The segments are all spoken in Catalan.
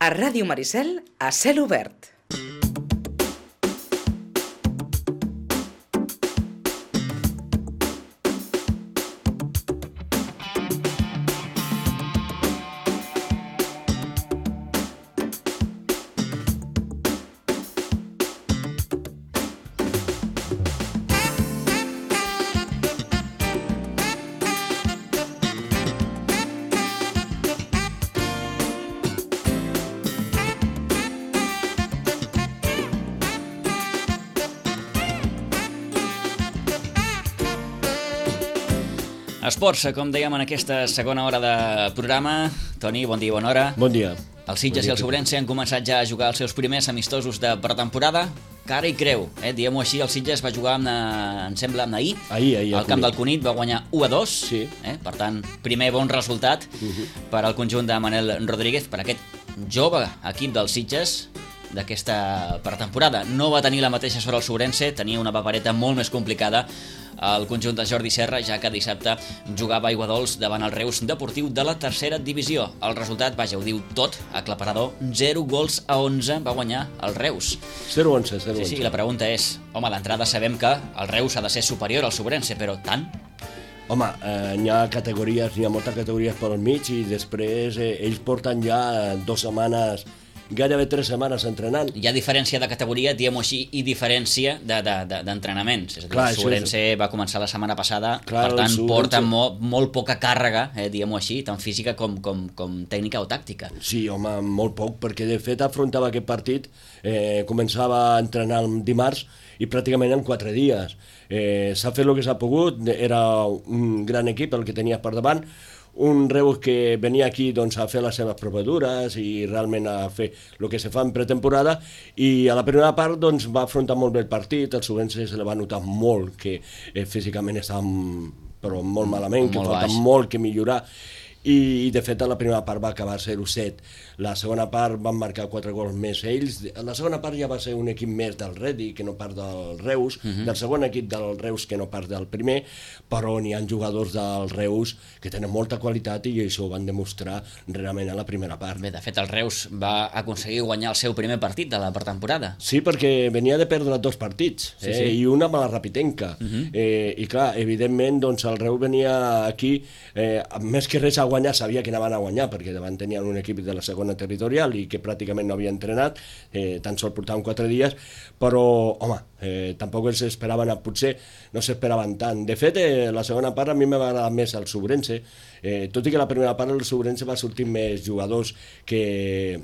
A Ràdio Maricel, a cel obert. Esports, com dèiem en aquesta segona hora de programa. Toni, bon dia i bona hora. Bon dia. Els Sitges i el Sobrense han començat ja a jugar els seus primers amistosos de pretemporada. Cara i creu, diguem-ho així, el Sitges va jugar, em sembla, ahir al camp del Cunit, va guanyar 1-2, sí. Per tant, primer bon resultat per al conjunt de Manel Rodríguez, per aquest jove equip dels Sitges d'aquesta pretemporada. No va tenir la mateixa sort el Sobrense, tenia una papereta molt més complicada el conjunt de Jordi Serra, ja que dissabte jugava a Aiguadols davant el Reus Deportiu de la tercera divisió. El resultat, vaja, ho diu tot, aclaparador, 0-11 va guanyar el Reus. 0-11. Sí, la pregunta és, home, d'entrada sabem que el Reus ha de ser superior al Sobrense, però tant? Home, n'hi ha categories, n'hi ha moltes categories per al mig i després ells porten ja 2 setmanes, gairebé 3 setmanes entrenant. Hi ha diferència de categoria, diguem-ho així, i diferència d'entrenaments. És a dir, el Sobrense va començar la setmana passada, per tant, porta molt poca càrrega, diguem-ho així, tant física com tècnica o tàctica. Sí, home, molt poc, perquè de fet afrontava aquest partit, començava a entrenar el dimarts i pràcticament en 4 dies. S'ha fet el que s'ha pogut, era un gran equip el que tenia per davant, un Reus que venia aquí doncs, a fer les seves provadures i realment a fer el que se fa en pretemporada, i a la primera part doncs, va afrontar molt bé el partit. El Sobrense se li va notar molt que físicament estava però molt malament, que falta molt que millorar, i de fet a la primera part va acabar 0-7. La segona part van marcar 4 gols més ells. La segona part ja va ser un equip més del Redi que no part del Reus, del segon equip del Reus que no part del primer, però n'hi ha jugadors del Reus que tenen molta qualitat i això ho van demostrar realment a la primera part. Bé, de fet el Reus va aconseguir guanyar el seu primer partit de la pretemporada. Sí, perquè venia de perdre 2 partits, i una amb la Rapitenca. I clar, evidentment doncs, el Reus venia aquí més que res a guanyar, sabia que anaven a guanyar perquè davant tenien un equip de la segona territorial i que pràcticament no havia entrenat, tan sols portaven 4 dies, però home, tampoc els esperaven, potser no s'esperaven tant. De fet, la segona part a mi m'ha agradat més el Sobrense, tot i que la primera part el Sobrense va sortir més jugadors que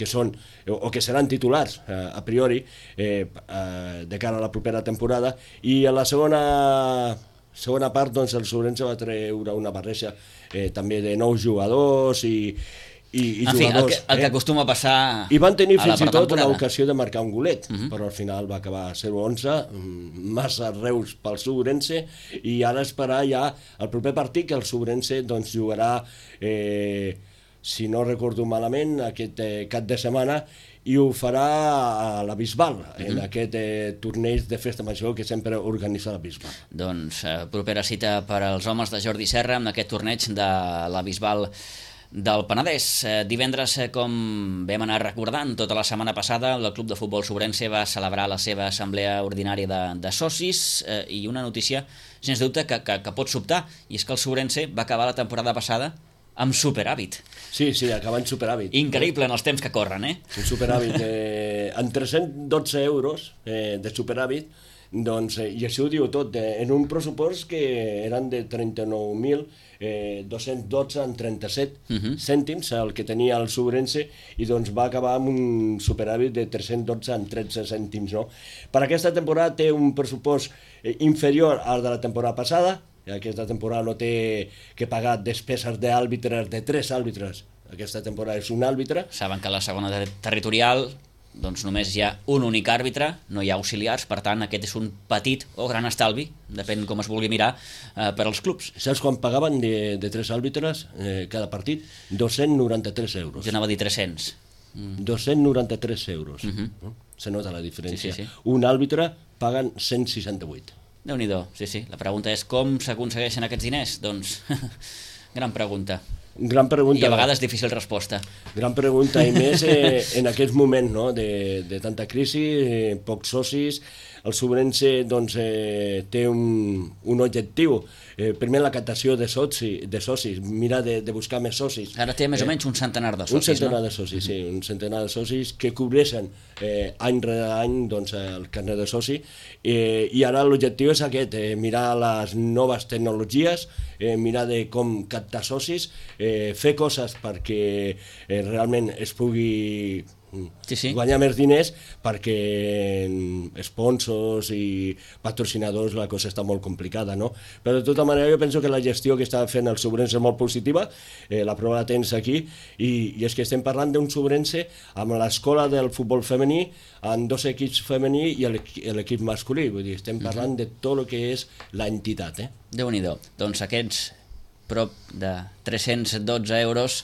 són o que seran titulars a priori de cara a la propera temporada, i a la segona part doncs, el Sobrense va treure una barreja també de nous jugadors i jugadors. El que acostuma a passar a la pretemporada. I van tenir fins i tot l'ocasió de marcar un golet, però al final va acabar 0-11, massa Reus pel Sobrense, i ara esperar ja el proper partit, que el Sobrense doncs, jugarà, si no recordo malament, aquest cap de setmana, i ho farà a la Bisbal, en aquest torneig de festa major que sempre organitza la Bisbal. Doncs propera cita per als homes de Jordi Serra en aquest torneig de la Bisbal del Penedès. Divendres, com vam anar recordant tota la setmana passada, el Club de Futbol Sobrense va celebrar la seva assemblea ordinària de socis, i una notícia, sens dubte, que pot sobtar, i és que el Sobrense va acabar la temporada passada amb superàvit. Sí, acaba en superàvit. Increïble en els temps que corren, Un superàvit, amb 312 euros de superàvit, doncs, i això ho diu tot, en un pressupost que eren de 39.212 en 37 cèntims, el que tenia el Sobrense, i doncs va acabar amb un superàvit de 312 en 13 cèntims. No? Per aquesta temporada té un pressupost inferior al de la temporada passada. Aquesta temporada no té que pagar despeses d'àrbitres, de 3 àrbitres. Aquesta temporada és un àrbitre. Saben que a la segona territorial doncs només hi ha un únic àrbitre, no hi ha auxiliars, per tant aquest és un petit o gran estalvi, depèn com es vulgui mirar, per als clubs. Saps quan pagaven de 3 àrbitres cada partit? 293 euros. Jo anava a dir 300. 293 euros. Se nota la diferència. Sí. Un àrbitre paguen 168. Déu-n'hi-do, sí. La pregunta és com s'aconsegueixen aquests diners? Doncs, gran pregunta. Gran pregunta. I a vegades difícil resposta. Gran pregunta, i més en aquest moment, no?, de tanta crisi, pocs socis. El Sobrense doncs, té un objectiu, primer la captació de socis, mira de buscar més socis. Ara té més o menys un centenar de socis, un centenar de socis, sí, un centenar de socis que cobreixen any rere any doncs, el carnet de soci, i ara l'objectiu és aquest, mirar les noves tecnologies, mirar de com captar socis, fer coses perquè realment es pugui guanyar més diners, perquè sponsors i patrocinadors la cosa està molt complicada, no? Però de tota manera jo penso que la gestió que està fent el Sobrense és molt positiva, la prova la tens aquí, i és que estem parlant d'un Sobrense amb l'escola del futbol femení, amb 2 equips femení i l'equip masculí, vull dir, estem parlant de tot el que és l'entitat. Déu-n'hi-do. Doncs aquests prop de 312 euros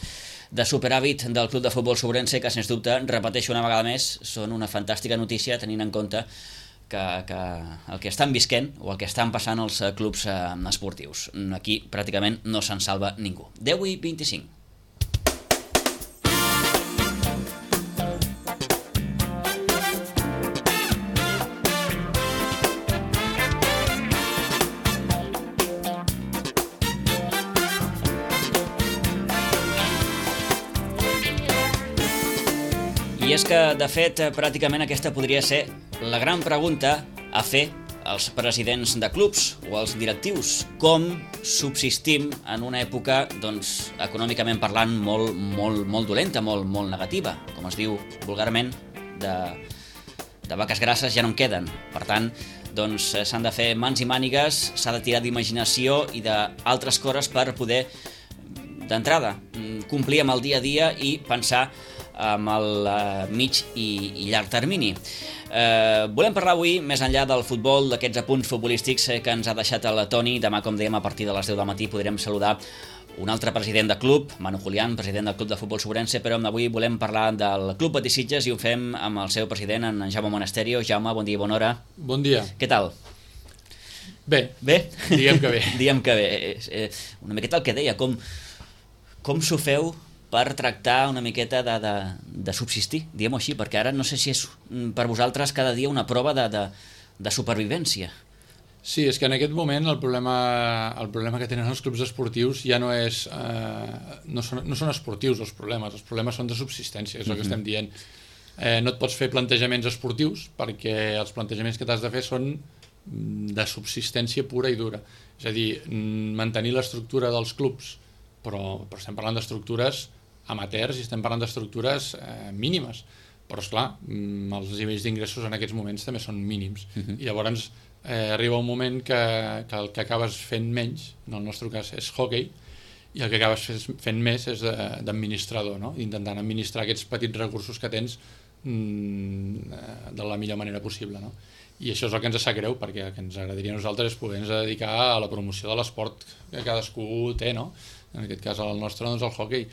de superàvit del Club de Futbol Sobrense, que sens dubte, repeteixo una vegada més, són una fantàstica notícia tenint en compte que el que estan visquent o el que estan passant els clubs esportius. Aquí pràcticament no se'n salva ningú. 10:25. I és que, de fet, pràcticament aquesta podria ser la gran pregunta a fer als presidents de clubs o als directius. Com subsistim en una època, doncs, econòmicament parlant, molt dolenta, molt negativa? Com es diu vulgarment, de vaques grasses ja no en queden. Per tant, doncs, s'han de fer mans i mànigues, s'ha de tirar d'imaginació i d'altres coses per poder, d'entrada, complir amb el dia a dia i pensar amb el mig i llarg termini. Volem parlar avui, més enllà del futbol, d'aquests apunts futbolístics que ens ha deixat el Toni. Demà, com dèiem, a partir de les 10 del matí podrem saludar un altre president de club, Manu Julián, president del Club de Futbol Sobrense, però avui volem parlar del Club Betis Sitges i ho fem amb el seu president, en Jaume Monasterio. Jaume, bon dia i bona hora. Bon dia. Què tal? Bé. Bé? Diguem que bé. Diguem que bé. Una miqueta el que deia, com s'ho feu per tractar una miqueta de subsistir, diguem-ho així, perquè ara no sé si és per vosaltres cada dia una prova de supervivència. Sí, és que en aquest moment el problema que tenen els clubs esportius ja no és... no són esportius els problemes són de subsistència, és el que estem dient. No et pots fer plantejaments esportius perquè els plantejaments que t'has de fer són de subsistència pura i dura. És a dir, mantenir l'estructura dels clubs, però estem parlant d'estructures amateurs i estem parlant d'estructures mínimes, però esclar, els nivells d'ingressos en aquests moments també són mínims, i llavors arriba un moment que el que acabes fent menys, en el nostre cas és hockey, i el que acabes fent més és d'administrador, no? Intentant administrar aquests petits recursos que tens de la millor manera possible, no? I això és el que ens sap greu, perquè el que ens agradaria a nosaltres és poder-nos dedicar a la promoció de l'esport que cadascú té, no? En aquest cas el nostre, doncs el hockey,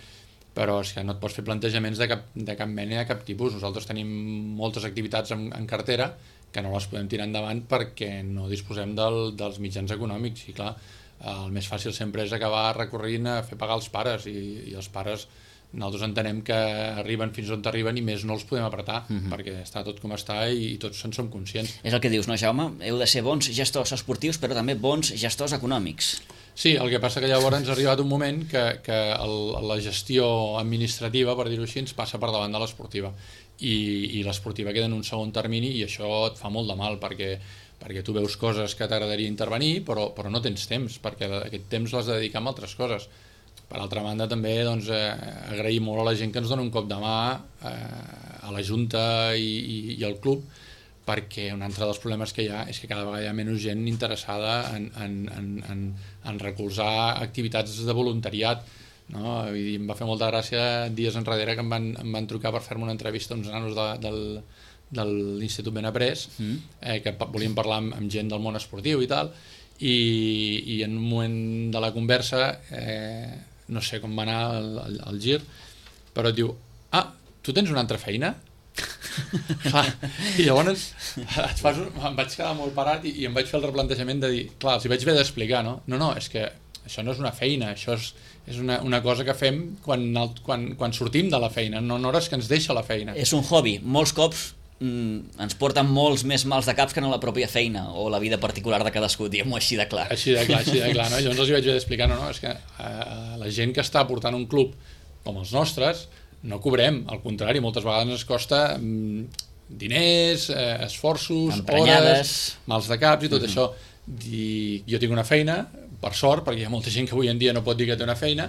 però és que no et pots fer plantejaments de cap mena, de cap tipus. Nosaltres tenim moltes activitats en cartera que no les podem tirar endavant perquè no disposem dels mitjans econòmics, i clar, el més fàcil sempre és acabar recorrint a fer pagar els pares, i els pares nosaltres entenem que arriben fins on arriben i més no els podem apretar, perquè està tot com està i tots en som conscients. És el que dius, no, Jaume? Heu de ser bons gestors esportius, però també bons gestors econòmics. Sí, el que passa que llavors ens ha arribat un moment que la gestió administrativa, per dir-ho així, ens passa per davant de l'esportiva, i l'esportiva queda en un segon termini, i això et fa molt de mal, perquè tu veus coses que t'agradaria intervenir, però no tens temps, perquè aquest temps l'has de dedicar a altres coses. Per altra banda, també agrair molt a la gent que ens dona un cop de mà, a la Junta i al club, perquè un altre dels problemes que hi ha és que cada vegada hi ha menys gent interessada en recolzar activitats de voluntariat, no? Vull dir, em va fer molta gràcia dies enrere que em van trucar per fer-me una entrevista uns nanos de l'Institut Benaprés, que volien parlar amb gent del món esportiu i tal, i en un moment de la conversa, no sé com va anar el gir, però et diu, tu tens una altra feina? I llavors em vaig quedar molt parat i em vaig fer el replantejament de dir, clar, els hi vaig haver d'explicar, no? No, és que això no és una feina, això és una cosa que fem quan sortim de la feina, no en hores que ens deixa la feina. És un hobby, molts cops ens porten molts més mals de caps que no la pròpia feina o la vida particular de cadascú, diguem-ho així de clar. Així de clar, no? Llavors els hi vaig explicar, no, és que la gent que està portant un club com els nostres no cobrem, al contrari, moltes vegades ens costa diners, esforços, hores, mals de caps i tot això. I jo tinc una feina, per sort, perquè hi ha molta gent que avui en dia no pot dir que té una feina,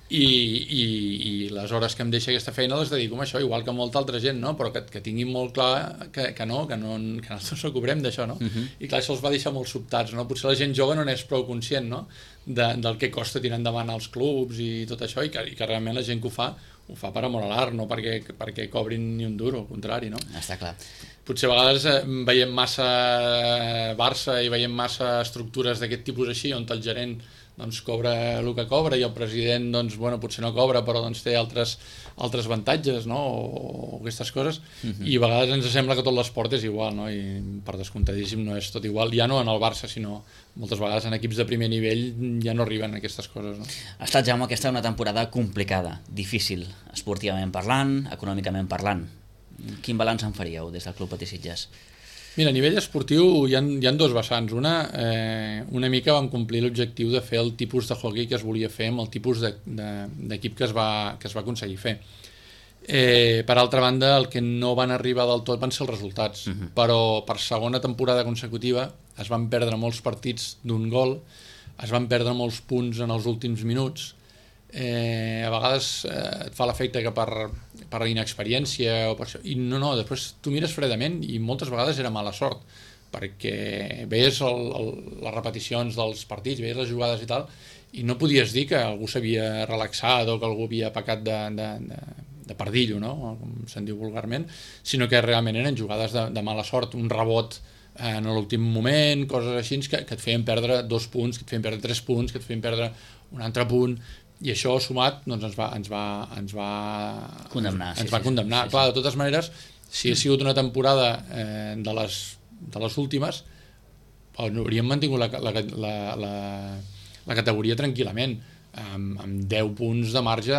i les hores que em deixa aquesta feina les dedico a això, igual que molta altra gent, no? Però que tinguin molt clar que nosaltres no cobrem d'això, no? I clar, això els va deixar molt sobtats, no? Potser la gent jove no n'és prou conscient, no? Del que costa tirar endavant els clubs i tot això, i que realment la gent que ho fa per amor a l'art, no perquè cobrin ni un duro, al contrari, no? Està clar. Potser a vegades veiem massa Barça i veiem massa estructures d'aquest tipus així, on el gerent doncs cobra el que cobra i el president doncs, bueno, potser no cobra però doncs, té altres avantatges, no? o aquestes coses, i a vegades ens sembla que tot l'esport és igual, no? I per descomptadíssim no és tot igual, ja no en el Barça, sinó moltes vegades en equips de primer nivell ja no arriben a aquestes coses, no? Ha estat, Jaume, aquesta una temporada complicada, difícil, esportivament parlant, econòmicament parlant. Quin balanç en faríeu des del Club Patí Sitges? Mira, a nivell esportiu hi ha dos vessants. Una mica vam complir l'objectiu de fer el tipus de hockey que es volia fer amb el tipus d'equip que es va aconseguir fer. Per altra banda, el que no van arribar del tot van ser els resultats, però per segona temporada consecutiva es van perdre molts partits d'un gol, es van perdre molts punts en els últims minuts. A vegades et fa l'efecte que per inexperiència o per això, i no, després tu mires fredament i moltes vegades era mala sort, perquè veies les repeticions dels partits, veies les jugades i tal, i no podies dir que algú s'havia relaxat o que algú havia pecat de pardillo, no? Com se'n diu vulgarment, sinó que realment eren jugades de mala sort, un rebot en l'últim moment, coses així que et feien perdre 2 punts, que et feien perdre 3 punts, que et feien perdre un altre punt, i això sumat doncs, ens va condemnar. Condemnar. Clar, de totes maneres, si ha sigut una temporada de les últimes, hauríem mantingut la categoria tranquil·lament, amb 10 punts de marge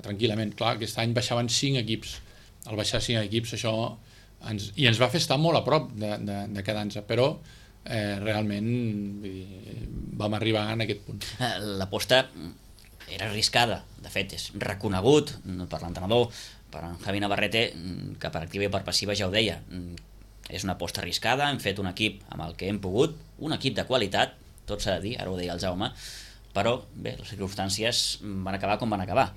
tranquil·lament. Clar, aquest any baixaven 5 equips. Al baixar 5 equips, això ens va fer estar molt a prop de quedar-nos, però realment vam arribar en aquest punt. L'aposta era arriscada, de fet és reconegut per l'entrenador, per en Javi Navarrete, que per activa i per passiva ja ho deia, és una aposta arriscada, hem fet un equip amb el que hem pogut, un equip de qualitat, tot s'ha de dir, ara ho deia el Jaume, però bé, les circumstàncies van acabar com van acabar.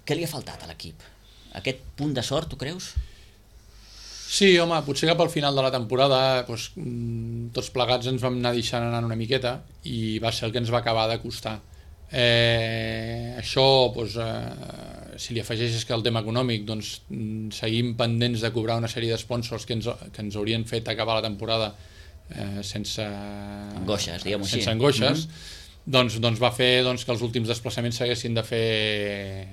Què li ha faltat a l'equip? Aquest punt de sort, tu creus? Sí, home, potser cap al final de la temporada doncs, tots plegats ens vam anar deixant anar una miqueta i va ser el que ens va acabar de costar. Això, doncs, si li afegeixes que el tema econòmic, doncs, seguim pendents de cobrar una sèrie de sponsors que ens haurien fet acabar la temporada sense angoixes, diguem-ho així. Sense angoixes, doncs va fer que els últims desplaçaments s'haguessin de fer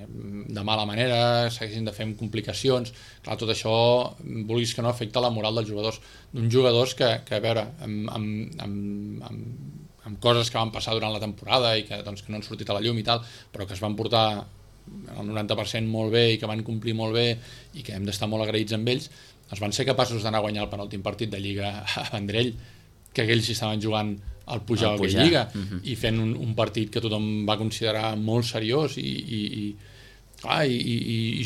de mala manera, s'haguessin de fer amb complicacions. Clar, tot això, vulguis que no, afecta la moral dels jugadors. D'uns jugadors que a veure, amb coses que van passar durant la temporada i que no han sortit a la llum i tal, però que es van portar el 90% molt bé i que van complir molt bé i que hem d'estar molt agraïts amb ells, doncs van ser capaços d'anar a guanyar el penúltim partit de Lliga a Vendrell, que aquells hi estaven jugant al pujar a aquella Lliga, i fent un partit que tothom va considerar molt seriós i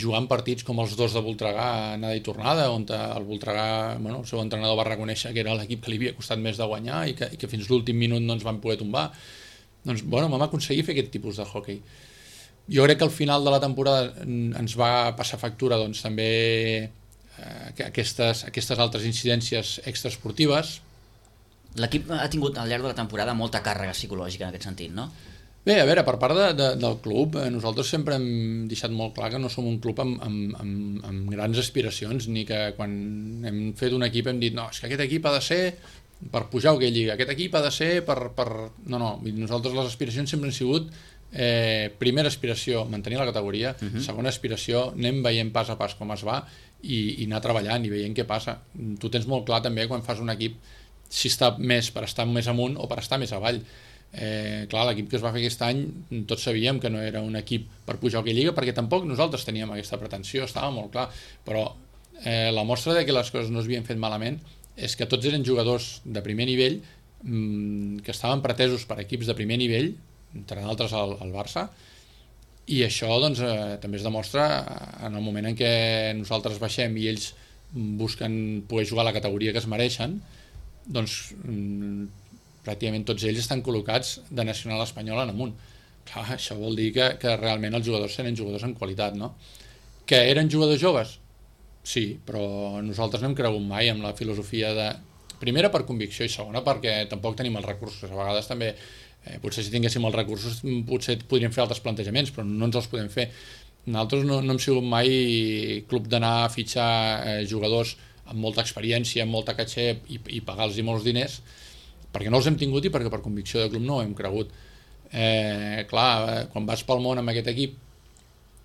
jugant partits com els 2 de Voltregà, anada i tornada, on el Voltregà, el seu entrenador va reconèixer que era l'equip que li havia costat més de guanyar i que fins l'últim minut no ens van poder tombar. Doncs, vam aconseguir fer aquest tipus de hoquei. Jo crec que al final de la temporada ens va passar factura també aquestes altres incidències extraesportives. L'equip ha tingut al llarg de la temporada molta càrrega psicològica en aquest sentit, no? Bé, a veure, per part del club, nosaltres sempre hem deixat molt clar que no som un club amb grans aspiracions, ni que quan hem fet un equip hem dit no, és que aquest equip ha de ser per pujar a aquella lliga, aquest equip ha de ser per... No, nosaltres les aspiracions sempre han sigut primera aspiració, mantenir la categoria, segona aspiració, anem veient pas a pas com es va i anar treballant i veient què passa. Tu tens molt clar també quan fas un equip si està més per estar més amunt o per estar més avall. Clar, l'equip que es va fer aquest any tots sabíem que no era un equip per pujar a Hockey Lliga, perquè tampoc nosaltres teníem aquesta pretensió, estava molt clar, però la mostra de que les coses no es havien fet malament és que tots eren jugadors de primer nivell que estaven pretesos per equips de primer nivell, entre d'altres el Barça, i això doncs, també es demostra en el moment en què nosaltres baixem i ells busquen poder jugar a la categoria que es mereixen, doncs pràcticament tots ells estan col·locats de nacional espanyol en amunt. Clar, això vol dir que realment els jugadors eren jugadors en qualitat, no? Que eren jugadors joves? Sí, però nosaltres no hem cregut mai amb la filosofia de... Primera, per convicció, i segona, perquè tampoc tenim els recursos. A vegades també, potser si tinguéssim els recursos, potser podríem fer altres plantejaments, però no ens els podem fer. Nosaltres no hem sigut mai club d'anar a fitxar jugadors amb molta experiència, amb molta caché i pagar-los molts diners, perquè no els hem tingut i perquè per convicció de club no ho hem cregut. Clar, quan vas pel món amb aquest equip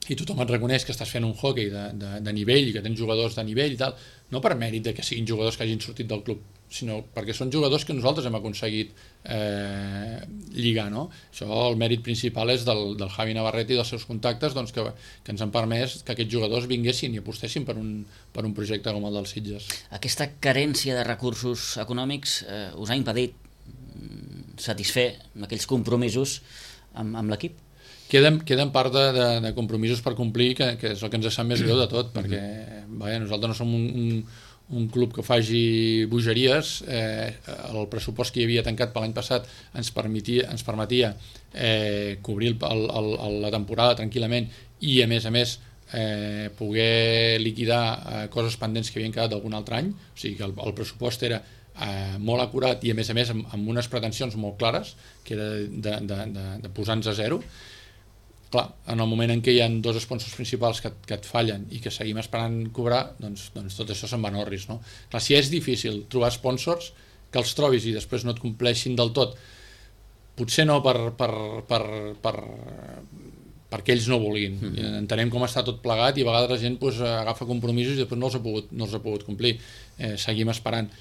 i tothom et reconeix que estàs fent un hockey de nivell i que tens jugadors de nivell i tal, no per mèrit de que siguin jugadors que hagin sortit del club, sinó perquè són jugadors que nosaltres hem aconseguit lligar, no? Això, el mèrit principal és del Javi Navarrete i dels seus contactes, doncs, que ens han permès que aquests jugadors vinguessin i apostessin per un projecte com el dels Sitges. Aquesta carència de recursos econòmics us ha impedit satisfer aquells compromisos amb l'equip? Queden part de compromisos per complir, que és el que ens sap més greu de tot, perquè nosaltres no som un club que faci bogeries. El pressupost que hi havia tancat per l'any passat ens permetia cobrir la temporada tranquil·lament i a més poder liquidar coses pendents que havien quedat d'algun altre any. O sigui que el pressupost era molt acurat i a més amb unes pretensions molt clares, que era de posar-nos a zero. Clar, en el moment en què hi ha dos sponsors principals que et fallen i que seguim esperant cobrar, doncs tot això se'n va en orris, no? Clar, si és difícil trobar sponsors, que els trobis i després no et compleixin del tot, potser no perquè ells no vulguin. Entenem com està tot plegat i a vegades la gent agafa compromisos i després no els ha pogut complir. Seguim esperant.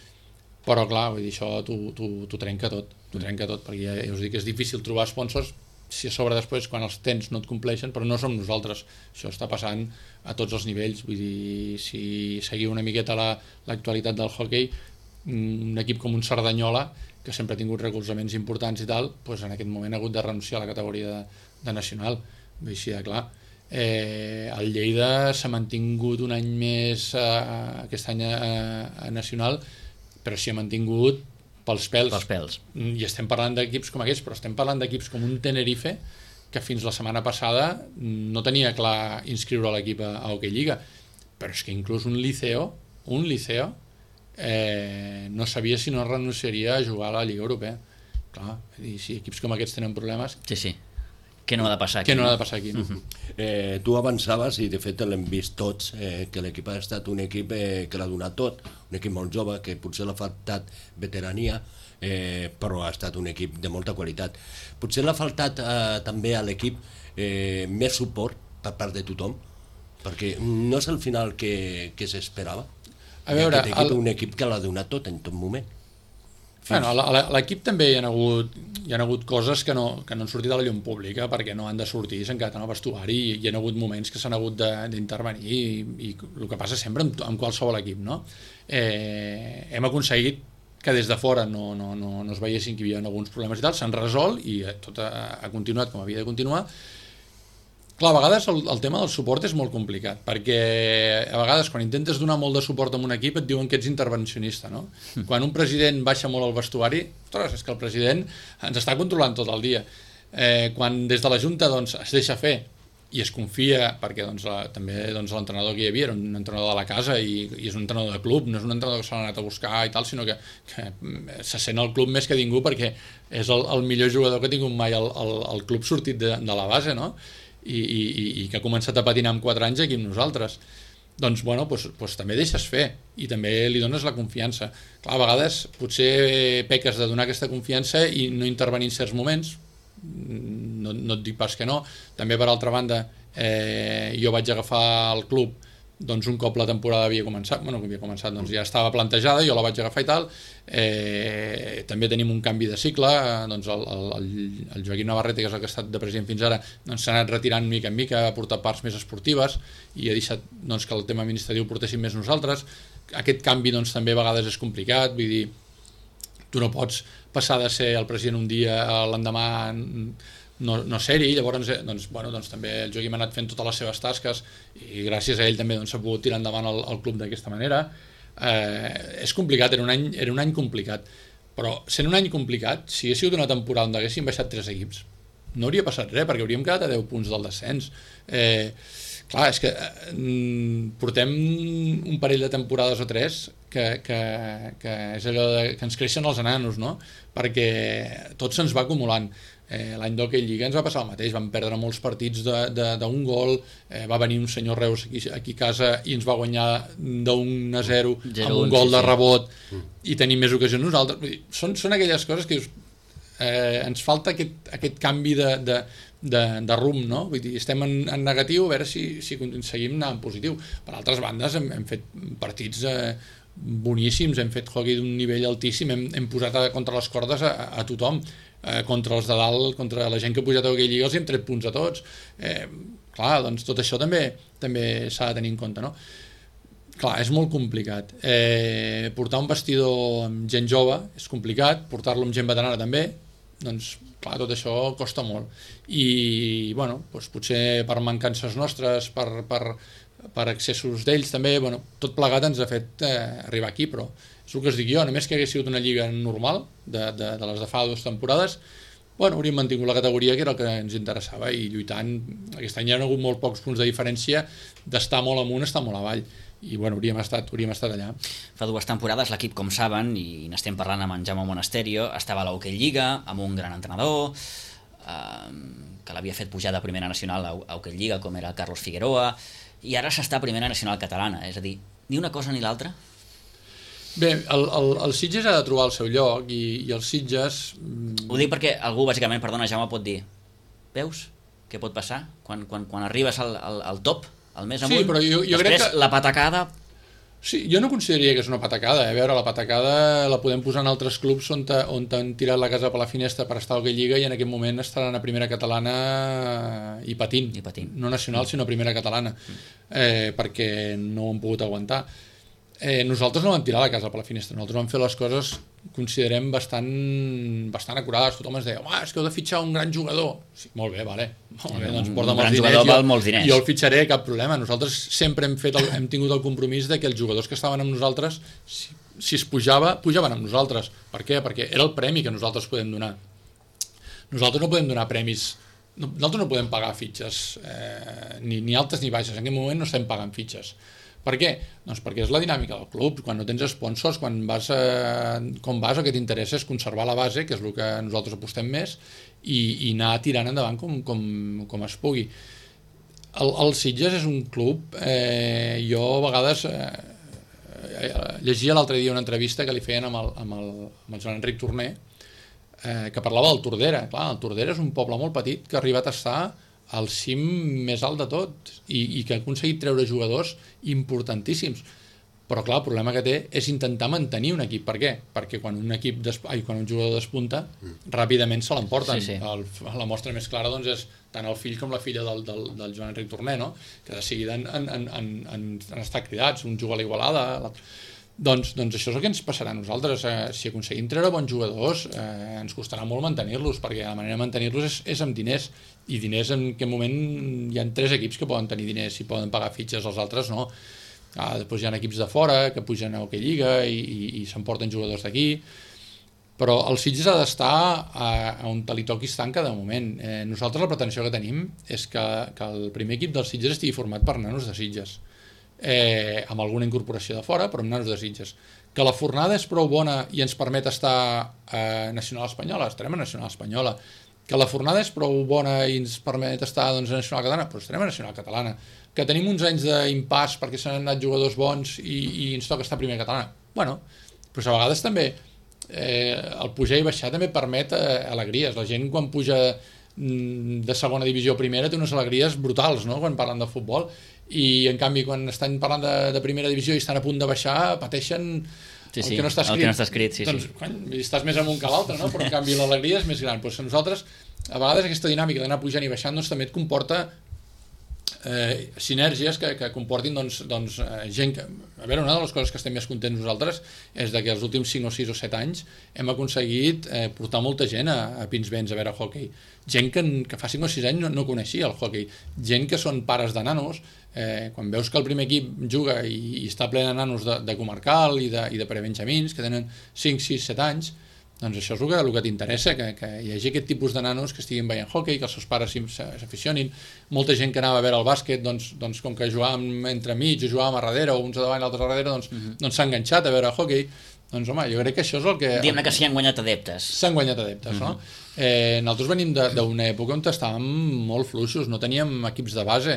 Però clar, vull dir, això t'ho trenca tot, perquè ja us dic que és difícil trobar sponsors si a sobre després quan els tens no et compleixen, però no som nosaltres, això està passant a tots els nivells. Vull dir, si seguiu una miqueta l'actualitat del hockey, un equip com un Cerdanyola, que sempre ha tingut recolzaments importants i tal, doncs en aquest moment ha hagut de renunciar a la categoria de nacional. Vull dir, així de clar. El Lleida s'ha mantingut un any més aquest any a nacional, però s'hi ha mantingut pels pèls. I estem parlant d'equips com aquests, però estem parlant d'equips com un Tenerife, que fins la setmana passada no tenia clar inscriure l'equip a Hockey Lliga, però és que inclús un Liceo no sabia si no renunciaria a jugar a la Lliga Europea. Clar, i si equips com aquests tenen problemes... Sí. Què no ha de passar aquí? Què no ha de passar aquí, no? Tu avançaves, i de fet l'hem vist tots, que l'equip ha estat un equip que l'ha donat tot, un equip molt jove, que potser l'ha faltat veterania, però ha estat un equip de molta qualitat. Potser l'ha faltat també a l'equip més suport per part de tothom, perquè no és el final que s'esperava. A veure, aquest equip és un equip que l'ha donat tot en tot moment. Bueno, a l'equip també hi ha hagut coses que no han sortit a la llum pública perquè no han de sortir, s'han quedat en el vestuari i hi ha hagut moments que s'han hagut d'intervenir i el que passa sempre amb qualsevol equip, no? Hem aconseguit que des de fora no es veiessin que hi havia alguns problemes i tal, s'han resolt i tot ha continuat com havia de continuar. Clar, a vegades el tema del suport és molt complicat, perquè a vegades quan intentes donar molt de suport a un equip et diuen que ets intervencionista, no? Quan un president baixa molt al vestuari, ostres, és que el president ens està controlant tot el dia. Quan des de la Junta es deixa fer i es confia, perquè també l'entrenador que hi havia era un entrenador de la casa i és un entrenador de club, no és un entrenador que s'ha anat a buscar i tal, sinó que se sent al club més que ningú perquè és el millor jugador que ha tingut mai el club sortit de la base, no? I que ha començat a patinar amb 4 anys aquí amb nosaltres. Doncs també deixes fer i també li dones la confiança. Clar, a vegades potser peques de donar aquesta confiança i no intervenir en certs moments, no et dic pas que no. També per altra banda jo vaig agafar el club doncs un cop la temporada havia començat, doncs ja estava plantejada, jo la vaig agafar i tal. També tenim un canvi de cicle, doncs el Joaquim Navarrete, que és el que ha estat de president fins ara, doncs s'ha anat retirant mica en mica, ha portat parts més esportives i ha deixat doncs, que el tema administratiu ho portéssim més nosaltres. Aquest canvi doncs, també a vegades és complicat, vull dir, tu no pots passar de ser el president un dia a l'endemà no ser-hi, llavors doncs, també el Joaquim ha anat fent totes les seves tasques i gràcies a ell també doncs, s'ha pogut tirar endavant el club d'aquesta manera. És complicat, era un any complicat, però sent un any complicat, si hagués sigut una temporada on haguessin baixat 3 equips, no hauria passat res, perquè hauríem quedat a 10 punts del descens. Clar, és que portem un parell de temporades o 3 que és allò que ens creixen els enanos, no? Perquè tot se'ns va acumulant. L'any d'Hockey Lliga ens va passar el mateix, vam perdre molts partits d'un gol, va venir un senyor Reus aquí a casa i ens va guanyar d'1-0 amb un gol de rebot i tenim més ocasions nosaltres. Són aquelles coses que dius, ens falta aquest canvi de rumb, no? Vull dir, estem en negatiu, a veure si seguim anant en positiu. Per altres bandes hem fet partits boníssims, hem fet hockey d'un nivell altíssim, hem posat contra les cordes a tothom, contra els de dalt, contra la gent que ha pujat a Hockey Lliga, els hem tret punts a tots. Clar, doncs tot això també s'ha de tenir en compte, no? Clar, és molt complicat. Portar un vestidor amb gent jove és complicat, portar-lo amb gent veterana també, doncs clar, tot això costa molt. I, bueno, doncs potser per mancances nostres, per excessos d'ells també, bueno, tot plegat ens ha fet arribar aquí, però és el que us dic jo, només que hagués sigut una lliga normal, de les de fa 2 temporades, bueno, hauríem mantingut la categoria, que era el que ens interessava, i lluitant. Aquest any hi ha hagut molt pocs punts de diferència d'estar molt amunt, estar molt avall, i bueno, hauríem estat allà. Fa 2 temporades l'equip, com saben, i n'estem parlant amb en Jaume Monasterio, estava a l'Hockey Lliga, amb un gran entrenador, que l'havia fet pujar de primera nacional a Hockey Lliga, com era Carlos Figueroa, i ara s'està a primera nacional catalana, és a dir, ni una cosa ni l'altra? Bé, el Sitges ha de trobar el seu lloc i els Sitges... Ho dic perquè algú, bàsicament, perdona, Jaume, pot dir, veus què pot passar quan arribes al top, al més amunt, sí, però jo després crec que... la patacada... Sí, jo no consideraria que és una patacada, a veure, la patacada la podem posar en altres clubs on han tirat la casa per la finestra per estar a Hockey Lliga i en aquest moment estaran a primera catalana i patint. No nacional, sinó primera catalana, perquè no ho han pogut aguantar. Nosaltres no vam tirar la casa per la finestra, nosaltres vam fer les coses, considerem, bastant acurades. Tothom ens deia, és que heu de fitxar un gran jugador. Sí, molt bé, doncs porta'm els diners i jo el fitxaré, cap problema. Nosaltres sempre hem tingut el compromís de que els jugadors que estaven amb nosaltres, si es pujaven amb nosaltres. Per què? Perquè era el premi que nosaltres podem donar. Nosaltres no podem donar premis, nosaltres no podem pagar fitxes, ni altes ni baixes. En aquest moment no estem pagant fitxes. Per què? Doncs perquè és la dinàmica del club. Quan no tens sponsors, quan vas el que t'interessa és conservar la base, que és el que nosaltres apostem més, i anar tirant endavant com es pugui. El Sitges és un club, jo a vegades llegia l'altre dia una entrevista que li feien amb el Joan Enric Torner, que parlava del Tordera. Clar, el Tordera és un poble molt petit que ha arribat a estar al cim més alt de tot i que ha aconseguit treure jugadors importantíssims. Però clar, el problema que té és intentar mantenir un equip. Per què? Perquè quan un jugador despunta, ràpidament se l'emporten. Sí. La mostra més clara doncs, és tant el fill com la filla del Joan Enric Torner, no? Que de seguida han estat cridats, un juga a l'Igualada, l'altre. Doncs això és el que ens passarà a nosaltres. Si aconseguim treure bons jugadors, ens costarà molt mantenir-los, perquè la manera de mantenir-los és amb diners, i diners en aquest moment hi ha 3 equips que poden tenir diners i poden pagar fitxes, els altres no. Després hi ha equips de fora que pugen a Hockey Lliga i s'emporten jugadors d'aquí, però el Sitges ha d'estar on li toqui estar en cada moment. Nosaltres la pretensió que tenim és que el primer equip del Sitges estigui format per nanos de Sitges, amb alguna incorporació de fora, però amb nanos de Sitges. Que la fornada és prou bona i ens permet estar a Nacional Espanyola, estarem a Nacional Espanyola. Que la fornada és prou bona i ens permet estar a Nacional Catalana, però estarem a Nacional Catalana. Que tenim uns anys d'impàs perquè s'han anat jugadors bons i ens toca estar a primera catalana. Bueno, però a vegades també el pujar i baixar també permet alegries. La gent quan puja de segona divisió a primera té unes alegries brutals, no?, quan parlen de futbol, i en canvi quan estan parlant de primera divisió i estan a punt de baixar, pateixen Sí, el que no està escrit. El que no està escrit, sí, doncs, sí. Estàs més amunt que l'altre, no? Però en canvi l'alegria és més gran. Doncs a nosaltres, a vegades aquesta dinàmica d'anar pujant i baixant doncs, també et comporta sinergies que comportin gent que... A veure, una de les coses que estem més contents nosaltres és que els últims 5 o 6 o 7 anys hem aconseguit portar molta gent a Pinsbens a veure hockey. Gent que fa 5 o 6 anys no coneixia el hockey. Gent que són pares de nanos. Quan veus que el primer equip juga i està ple de nanos de comarcal i de prebenjamins que tenen 5, 6, 7 anys, doncs això és el que t'interessa, que hi hagi aquest tipus de nanos que estiguin veient hockey, que els seus pares s'aficionin. Molta gent que anava a veure el bàsquet, doncs com que jugàvem entre mig o jugàvem a darrere o uns a davant i altres a darrere, doncs s'ha enganxat a veure hockey. Doncs home, jo crec que això és el que... Diguem-ne que s'hi han guanyat adeptes. S'han guanyat adeptes, no? Nosaltres venim d'una època on estàvem molt fluixos, no teníem equips de base,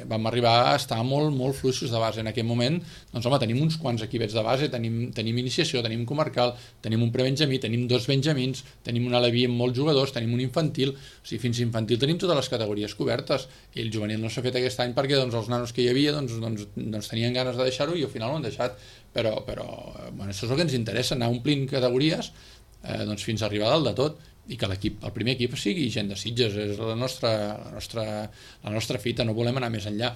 vam arribar a estar molt fluixos de base. En aquell moment, doncs home, tenim uns quants equipets de base, tenim iniciació, tenim comarcal, tenim un prebenjamí, tenim 2 benjamins, tenim una levi amb molts jugadors, tenim un infantil, o sigui, fins infantil tenim totes les categories cobertes, i el juvenil no s'ha fet aquest any perquè els nanos que hi havia tenien ganes de deixar-ho i al final ho han deixat, però bueno, això és el que ens interessa, anar omplint categories fins a arribar dalt de tot i que el primer equip sigui gent de Sitges, és la nostra fita, no volem anar més enllà.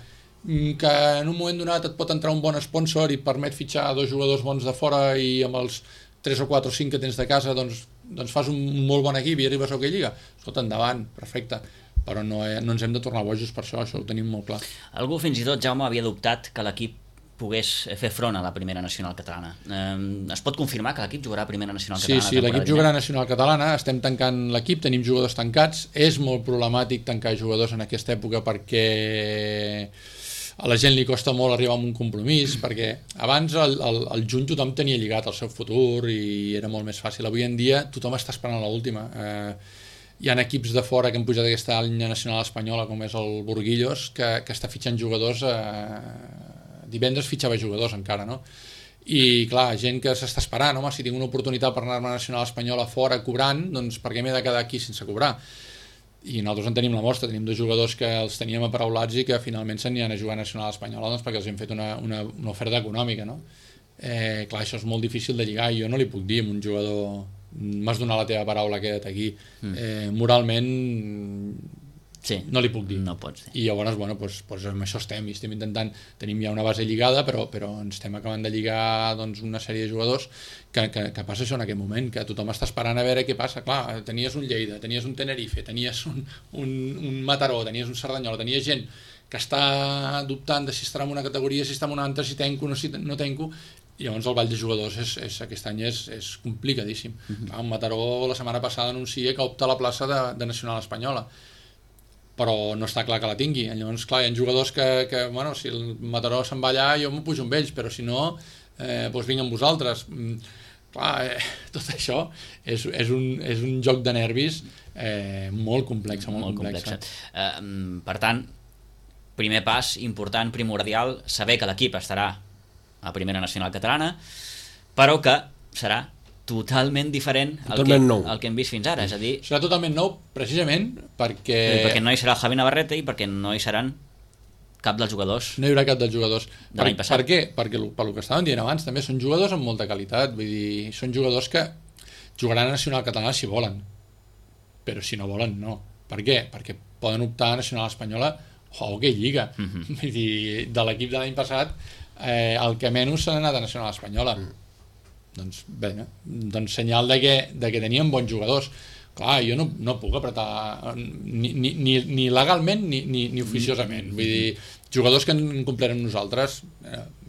Que en un moment donat et pot entrar un bon sponsor i permet fitxar 2 jugadors bons de fora i amb els 3 o 4 o 5 que tens de casa doncs fas un molt bon equip i arribes a hockey lliga, escolta, endavant, perfecte, però no ens hem de tornar bojos per això ho tenim molt clar. Algú fins i tot, Jaume, havia dubtat que l'equip pogués fer front a la primera nacional catalana. Es pot confirmar que l'equip jugarà a primera nacional catalana? Sí, l'equip jugarà a nacional catalana, estem tancant l'equip, tenim jugadors tancats, és molt problemàtic tancar jugadors en aquesta època perquè a la gent li costa molt arribar a un compromís, perquè abans al juny tothom tenia lligat el seu futur i era molt més fàcil. Avui en dia tothom està esperant l'última. Hi ha equips de fora que han pujat aquesta línia nacional espanyola, com és el Burguillos, que està fitxant jugadors divendres fitxava jugadors encara, no? I clar, gent que s'està esperant, home, si tinc una oportunitat per anar a la nacional espanyola fora cobrant, doncs per què m'he de quedar aquí sense cobrar? I nosaltres en tenim la mostra, tenim 2 jugadors que els teníem aparaulats i que finalment se n'hi han a jugar a nacional espanyola doncs perquè els hem fet una oferta econòmica, no? Clar, això és molt difícil de lligar i jo no li puc dir a un jugador m'has donat la teva paraula, queda't aquí. Moralment sí, no li puc dir. No pots dir. I llavors, bueno, doncs amb això estem intentant, tenim ja una base lligada, però ens estem acabant de lligar doncs, una sèrie de jugadors que passa això en aquest moment, que tothom està esperant a veure què passa. Clar, tenies un Lleida, tenies un Tenerife, tenies un Mataró, tenies un Cerdanyola, tenies gent que està dubtant de si estarà en una categoria, si està en una altra, si tenco o si no tenco, i llavors el ball de jugadors aquest any és complicadíssim. Clar, un Mataró la setmana passada anuncia que opta a la plaça de nacional espanyola, però no està clar que la tingui. Llavors, clar, hi ha jugadors que bueno, si el Mataró se'n va allà, jo m'ho pujo amb ells, però si no, doncs vinc amb vosaltres. Clar, tot això és un joc de nervis molt complex. Molt complex. Per tant, primer pas important, primordial, saber que l'equip estarà a primera nacional catalana, però que serà totalment diferent al que hem vist fins ara, és a dir... Serà totalment nou, precisament, perquè no hi serà el Javi Navarrete i perquè no hi seran cap dels jugadors. No hi haurà cap dels jugadors. De l'any passat. Per què? Perquè pel que estàvem dient abans, també són jugadors amb molta qualitat, vull dir, són jugadors que jugaran a nacional catalana si volen, però si no volen, no. Per què? Perquè poden optar a nacional espanyola o hockey lliga. Vull dir, de l'equip de l'any passat, el que menys s'ha anat a nacional espanyola. Doncs bé, doncs senyal de que tenien bons jugadors. Clar, jo no puc apretar ni legalment ni oficiosament. Vull dir, jugadors que han complert amb nosaltres,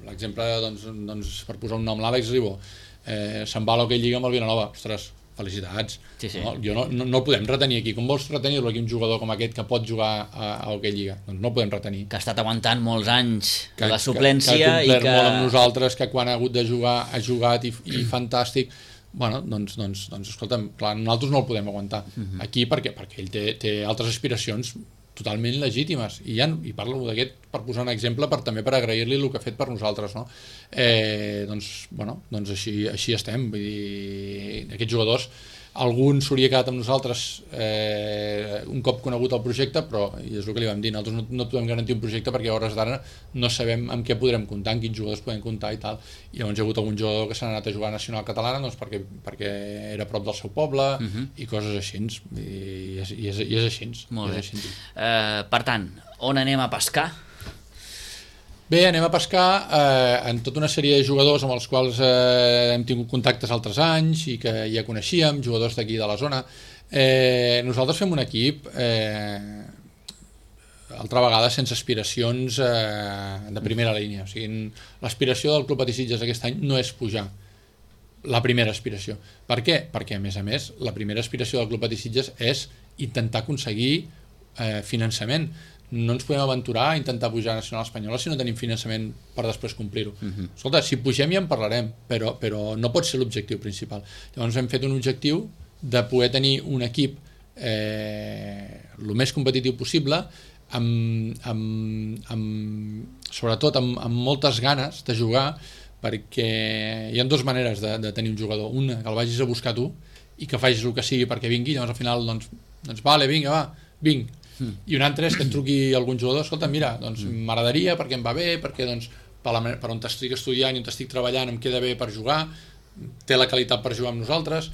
l'exemple, doncs, per posar un nom, l'Àlex Ribó, se'n va a l'Hockey Lliga amb el Vilanova. Ostres, felicitats. Sí. No, no el podem retenir aquí. Com vols retenir-lo aquí un jugador com aquest que pot jugar a Hockey Lliga? Doncs no el podem retenir. Que ha estat aguantant molts anys la suplència que ha complert i que... molt amb nosaltres, que quan ha hagut de jugar ha jugat i fantàstic. Bueno, doncs escolta'm, clar, nosaltres no el podem aguantar aquí perquè ell té altres aspiracions totalment legítimes i parlo d'aquest per posar un exemple també per agrair-li el que ha fet per nosaltres, no? Doncs així estem, vull dir, aquests jugadors algun s'hauria quedat amb nosaltres un cop conegut el projecte, però i és el que li vam dir, nosaltres no podem garantir un projecte perquè a hores d'ara no sabem amb què podrem comptar, amb quins jugadors podem comptar i tal, i llavors hi ha hagut algun jugador que s'ha anat a jugar a Nacional Catalana doncs perquè era a prop del seu poble i coses així, i és així. Molt bé. Per tant, on anem a pescar? Bé, anem a pescar en tota una sèrie de jugadors amb els quals hem tingut contactes altres anys i que ja coneixíem, jugadors d'aquí de la zona. Nosaltres fem un equip altra vegada sense aspiracions de primera línia. O sigui, l'aspiració del Club Patí Sitges aquest any no és pujar, la primera aspiració. Per què? Perquè, a més, la primera aspiració del Club Patí Sitges és intentar aconseguir finançament. No ens podem aventurar a intentar pujar a Nacional Espanyola si no tenim finançament per després complir-ho. Escolta, si pugem ja en parlarem, però no pot ser l'objectiu principal. Llavors hem fet un objectiu de poder tenir un equip el més competitiu possible, sobretot amb moltes ganes de jugar, perquè hi ha dues maneres de tenir un jugador. Una, que el vagis a buscar tu i que facis el que sigui perquè vingui, llavors al final doncs vale, vinga, va, vinc. I un altre és que et truqui algun jugador, escolta, mira, doncs m'agradaria perquè em va bé, perquè doncs per on t'estic estudiant i on t'estic treballant em queda bé per jugar, té la qualitat per jugar amb nosaltres,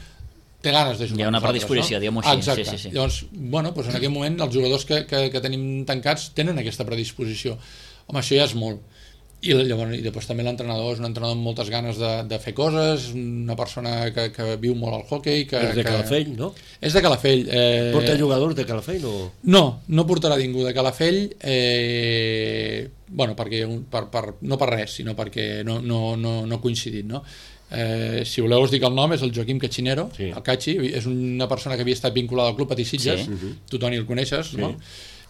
té ganes de jugar. Hi ha una predisposició, no? Diguem-ho així. Exacte. Sí. Llavors, bueno, doncs en aquest moment els jugadors que tenim tancats tenen aquesta predisposició. Home, això ja és molt. I després també l'entrenador és un entrenador amb moltes ganes de fer coses, una persona que viu molt al hoquei. És de Calafell, no? És de Calafell. Porta jugadors de Calafell o...? No portarà ningú de Calafell, bueno, perquè, no per res, sinó perquè no ha coincidit, no? Si voleu us dic el nom, és el Joaquim Cachinero, sí. El Cachi, és una persona que havia estat vinculada al Club Patí Sitges, sí. Tu, Toni, el coneixes, sí. No?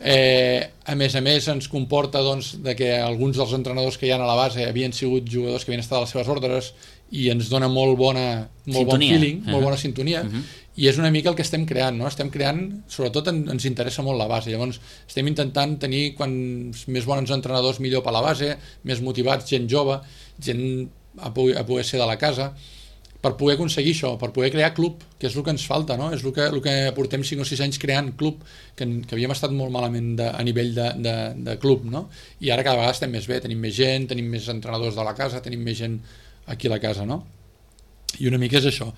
A més ens comporta doncs, de que alguns dels entrenadors que hi ha a la base havien sigut jugadors que havien estat a les seves ordres i ens dona molt bon feeling, molt bona sintonia, i és una mica el que estem creant, no? Estem creant, sobretot ens interessa molt la base, llavors estem intentant tenir quants més bons entrenadors millor per la base, més motivats, gent jove, gent a poder ser de la casa, per poder aconseguir això, per poder crear club, que és el que ens falta, no? És el que portem 5 o 6 anys creant club, que havíem estat molt malament a nivell de club, no? I ara cada vegada estem més bé, tenim més gent, tenim més entrenadors de la casa, tenim més gent aquí a la casa, no? I una mica és això.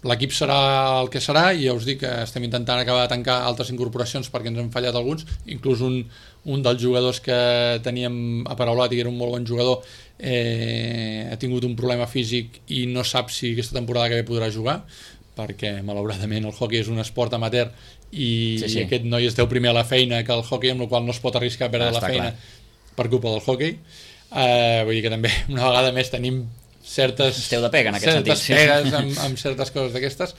L'equip serà el que serà i ja us dic que estem intentant acabar de tancar altres incorporacions perquè ens han fallat alguns, inclús un dels jugadors que teníem aparaulat i que era un molt bon jugador ha tingut un problema físic i no sap si aquesta temporada que ve podrà jugar, perquè malauradament el hoquei és un esport amateur i aquest noi es deu primer a la feina que el hoquei, amb la qual no es pot arriscar a perdre la feina per culpa del hoquei. Vull dir que també una vegada més tenim esteu de pega en aquest sentit, pegues amb certes coses d'aquestes,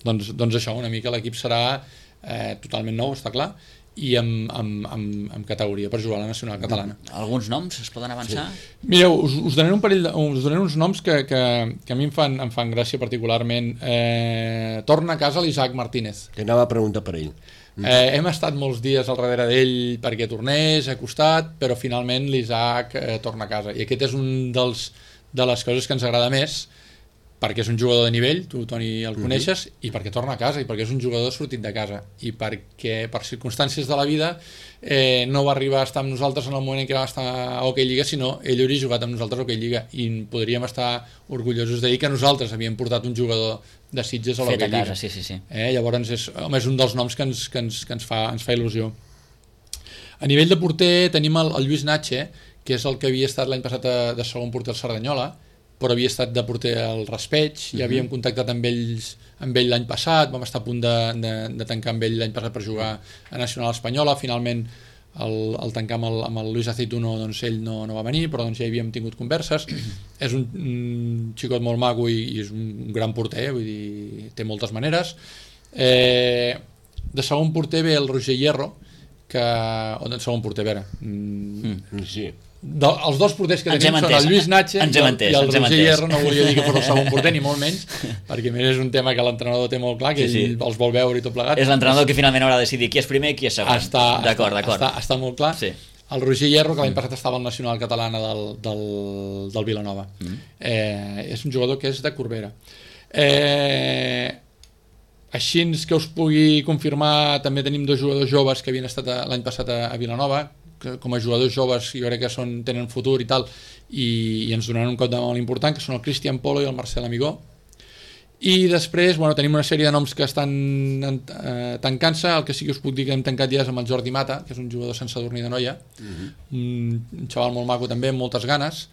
doncs això, una mica l'equip serà totalment nou, està clar, i amb categoria per jugar a la Nacional Catalana. Alguns noms es poden avançar? Sí. Mireu, us donaré uns noms que a mi em fan gràcia particularment. Torna a casa l'Isaac Martínez. Que anava a preguntar per ell. Hem estat molts dies al darrere d'ell perquè tornés, ha costat, però finalment l'Isaac torna a casa. I aquest és un de les coses que ens agrada més, perquè és un jugador de nivell, tu, Toni, el coneixes, i perquè torna a casa, i perquè és un jugador sortit de casa, i perquè per circumstàncies de la vida no va arribar a estar amb nosaltres en el moment en què va estar a Hockey Lliga, sinó ell hauria jugat amb nosaltres a Hockey Lliga, i podríem estar orgullosos de dir que nosaltres havíem portat un jugador de Sitges a l'Hockey Lliga. Sí. Llavors és un dels noms que ens fa il·lusió. A nivell de porter tenim el Lluís Natxe, que és el que havia estat l'any passat de segon porter al Cerdanyola, però havia estat de porter al Raspeig, ja havíem contactat amb ell l'any passat, vam estar a punt de tancar amb ell l'any passat per jugar a Nacional Espanyola, finalment el tancar amb el Luis Aceituno, doncs ell no va venir, però doncs ja havíem tingut converses. És un xicot molt maco i és un gran porter, vull dir, té moltes maneres. De segon porter ve el Roger Hierro, o de segon porter, a veure... Sí. Els dos porters que tenim són el Lluís Natxe i el Roger Hierro. No volia dir que fos el segon porter, ni molt menys, perquè és un tema que l'entrenador té molt clar, que ell els vol veure i tot plegat. És l'entrenador que finalment haurà de decidir qui és primer i qui és segon. D'acord. Està molt clar. Sí. el Roger Hierro, que l'any passat estava al Nacional Catalana del Vilanova. És un jugador que és de Corbera. Així que us pugui confirmar, també tenim 2 jugadors joves que havien estat l'any passat a Vilanova, que com a jugadors joves jo crec que tenen futur i tal, i ens donaran un cop de mà molt important, que són el Cristian Polo i el Marcel Amigó. I després tenim una sèrie de noms que estan tancant-se. El que sí que us puc dir que hem tancat ja és amb el Jordi Mata, que és un jugador sense dormir de noia, un xaval molt maco també, amb moltes ganes.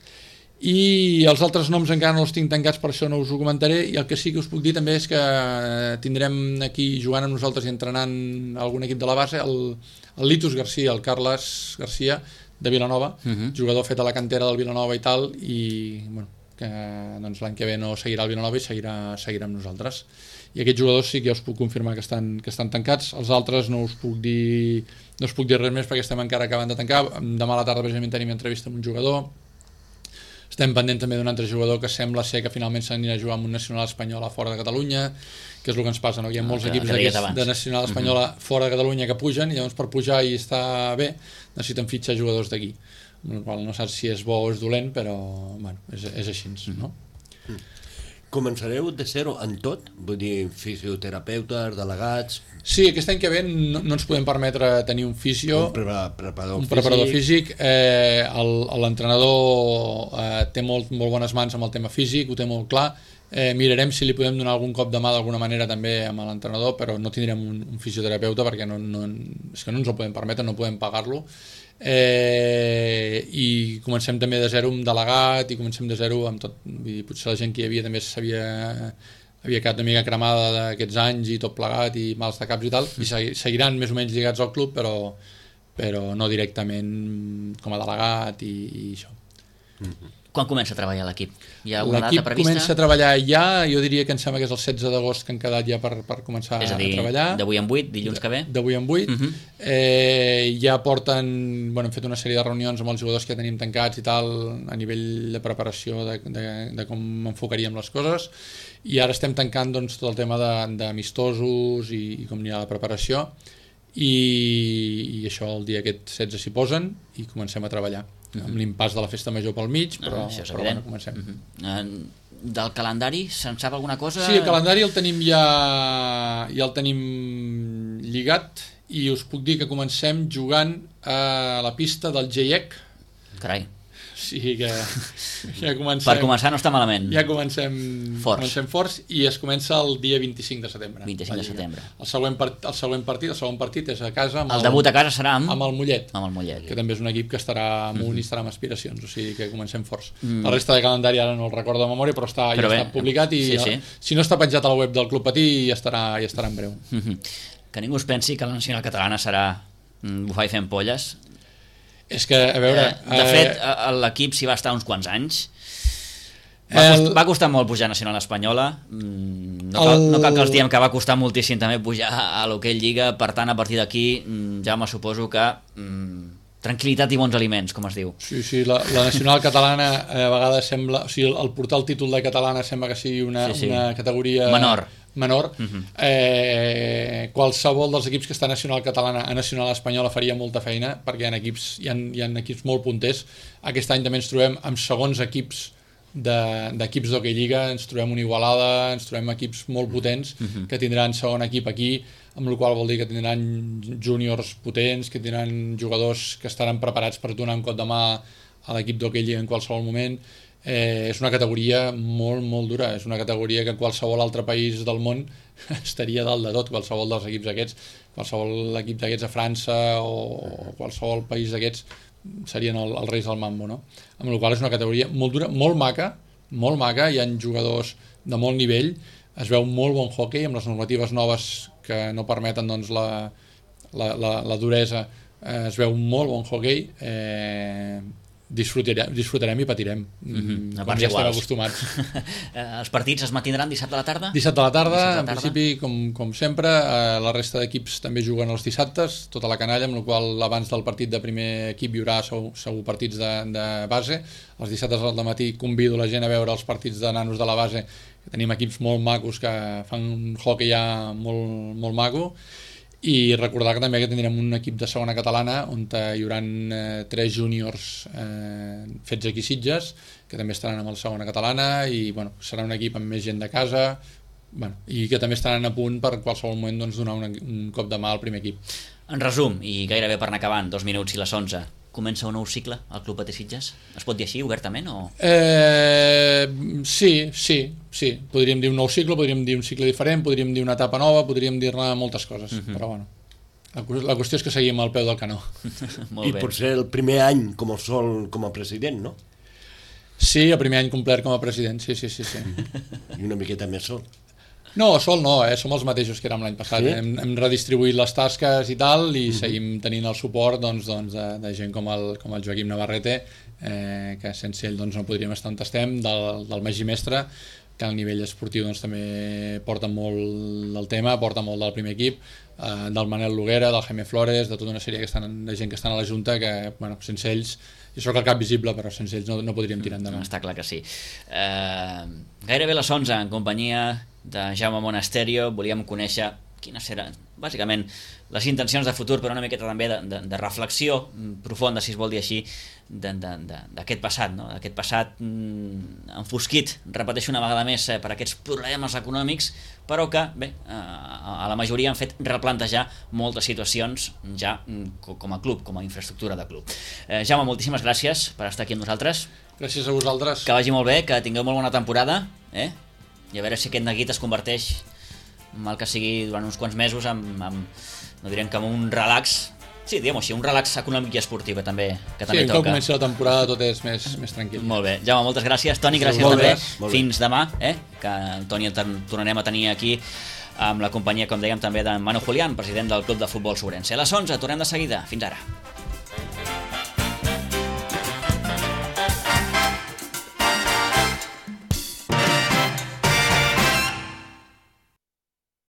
I els altres noms encara no els tinc tancats, per això no us ho comentaré, i el que sí que us puc dir també és que tindrem aquí jugant amb nosaltres i entrenant algun equip de la base el Litus Garcia, el Carles Garcia de Vilanova, jugador fet a la cantera del Vilanova i tal, i que doncs, l'any que ve no seguirà al Vilanova i seguirà amb nosaltres. I aquests jugadors sí que ja us puc confirmar que estan tancats. Els altres no us puc dir res més perquè estem encara acabant de tancar. Demà a la tarda precisament tenim entrevista amb un jugador. Estem pendents també d'un altre jugador que sembla ser que finalment s'anirà a jugar amb un nacional espanyol a fora de Catalunya, que és el que ens passa, no? Hi ha molts equips de nacional espanyola fora de Catalunya que pugen, i llavors per pujar i estar bé necessiten fitxar jugadors d'aquí, amb la qual no saps si és bo o és dolent, però és així, no? Començareu de zero en tot? Vull dir, fisioterapeutes, delegats... Sí, aquest any que ve no ens podem permetre tenir un fisio, un preparador físic. L'entrenador té molt bones mans amb el tema físic, ho té molt clar. Mirarem si li podem donar algun cop de mà d'alguna manera també amb l'entrenador, però no tindrem un fisioterapeuta perquè és que no ens ho podem permetre, no podem pagar-lo. I comencem també de zero amb delegat i comencem de zero amb tot. Vull dir, potser la gent que hi havia també havia quedat una mica cremada d'aquests anys i tot plegat i mals de caps i tal, i seguiran més o menys lligats al club, però no directament com a delegat i això. Quan comença a treballar l'equip? Hi ha alguna data prevista? L'equip comença a treballar ja, jo diria que em sembla que és el 16 d'agost que han quedat ja per començar a treballar. És a dir, d'avui en 8, dilluns que ve? D'avui en 8. Ja porten, hem fet una sèrie de reunions amb els jugadors que tenim tancats i tal, a nivell de preparació de com enfocaríem les coses, i ara estem tancant tot el tema d'amistosos i com anirà la preparació, i això el dia aquest 16 s'hi posen i comencem a treballar. Amb l'impàs de la festa major pel mig, però comencem. Del calendari, se'n sap alguna cosa? Sí, el calendari el tenim ja el tenim lligat, i us puc dir que comencem jugant a la pista del GIEC. Carai. Sí, que ja comencem... Per començar no està malament. Ja comencem forts, i es comença el dia 25 de setembre. 25 de setembre. El segon partit és a casa... El debut a casa serà amb el Mollet. Amb el Mollet. Que també és un equip que estarà amunt i estarà amb aspiracions, o sigui que comencem forts. La resta de calendari ara no el recordo de memòria, però ja està publicat, i si no està penjat a la web del Club Patí ja estarà en breu. Que ningú es pensi que la nacional catalana serà bufar i fent polles. És que, a veure... De fet, l'equip s'hi va estar uns quants anys. Va costar molt pujar a nacional espanyola. No cal que els diem que va costar moltíssim també pujar a l'Hockey Lliga. Per tant, a partir d'aquí, Jaume, suposo que tranquil·litat i bons aliments, com es diu. Sí, la nacional catalana a vegades sembla... O sigui, el portar el títol de catalana sembla que sigui una categoria... menor. Qualsevol dels equips que està a nacional catalana a nacional espanyola faria molta feina, perquè hi ha equips molt punters. Aquest any també ens trobem amb segons equips d'equips d'Hockey Lliga, ens trobem una Igualada, ens trobem equips molt potents que tindran segon equip aquí, amb la qual vol dir que tindran júniors potents, que tindran jugadors que estaran preparats per donar un cop de mà a l'equip d'Hockey Lliga en qualsevol moment. És una categoria molt, molt dura, és una categoria que qualsevol altre país del món estaria dalt de tot, qualsevol dels equips aquests, qualsevol equip d'aquests a França o qualsevol país d'aquests serien els reis del mambo, no? Amb la qual és una categoria molt dura, molt maca, hi ha jugadors de molt nivell, es veu molt bon hockey amb les normatives noves que no permeten la duresa, es veu molt bon hockey, disfrutarem i patirem, com ja estem acostumats. Els partits es mantindran dissabte a la tarda? Dissabte a la tarda, en principi, com sempre. La resta d'equips també juguen els dissabtes, tota la canalla, amb la qual abans del partit de primer equip hi haurà segur partits de base. Els dissabtes al matí convido la gent a veure els partits de nanos de la base, que tenim equips molt macos que fan un hockey ja molt, molt maco. i recordar que també que tindrem un equip de segona catalana on hi haurà 3 júniors fets aquí a Sitges que també estaran amb el segona catalana i bueno, serà un equip amb més gent de casa, bueno, i que també estaran a punt per qualsevol moment doncs, donar un cop de mà al primer equip. En resum, i gairebé per anar acabant, 2 minuts i les 11, comença un nou cicle al Club Patí Sitges? Es pot dir així, obertament? O... Sí. Podríem dir un nou cicle, podríem dir un cicle diferent, podríem dir una etapa nova, podríem dir-ne moltes coses, però bueno, la qüestió és que seguim al peu del canó. I potser el primer any com a president, no? Sí, el primer any complet com a president, sí. I una miqueta més sol. No, sol no, som els mateixos que érem l'any passat. Sí? Hem redistribuït les tasques i tal i seguim tenint el suport de gent com el Joaquim Navarrete, que sense ell no podríem estar on estem, del Magí Mestre, que al nivell esportiu també porta molt del tema, porta molt del primer equip, del Manel Loguera, del Jaime Flores, de tota una sèrie de gent que estan a la Junta que, bueno, sense ells, jo soc el cap visible, però sense ells no podríem tirar endavant. Està clar que sí. Gairebé les 11, en companyia de Jaume Monasterio, volíem conèixer quines seran, bàsicament, les intencions de futur, però una miqueta també de reflexió profunda, si es vol dir així, d'aquest passat, no? D'aquest passat enfosquit, repeteixo una vegada més, per aquests problemes econòmics, però que, bé, a la majoria han fet replantejar moltes situacions ja com a club, com a infraestructura de club. Jaume, moltíssimes gràcies per estar aquí amb nosaltres. Gràcies a vosaltres. Que vagi molt bé, que tingueu molt bona temporada, i a veure si aquest neguit es converteix, mal que sigui durant uns quants mesos, no direm que amb un relax, sí, diguem-ho així, un relax econòmic i esportiu que també toca. Sí, quan comenci la temporada tot és més tranquil. Molt bé, Jaume, moltes gràcies. Toni, gràcies també. Fins demà, que el Toni el tornarem a tenir aquí amb la companyia, com dèiem, també de Manu Julián, president del Club de Futbol Sobrense. A les 11, tornem de seguida. Fins ara.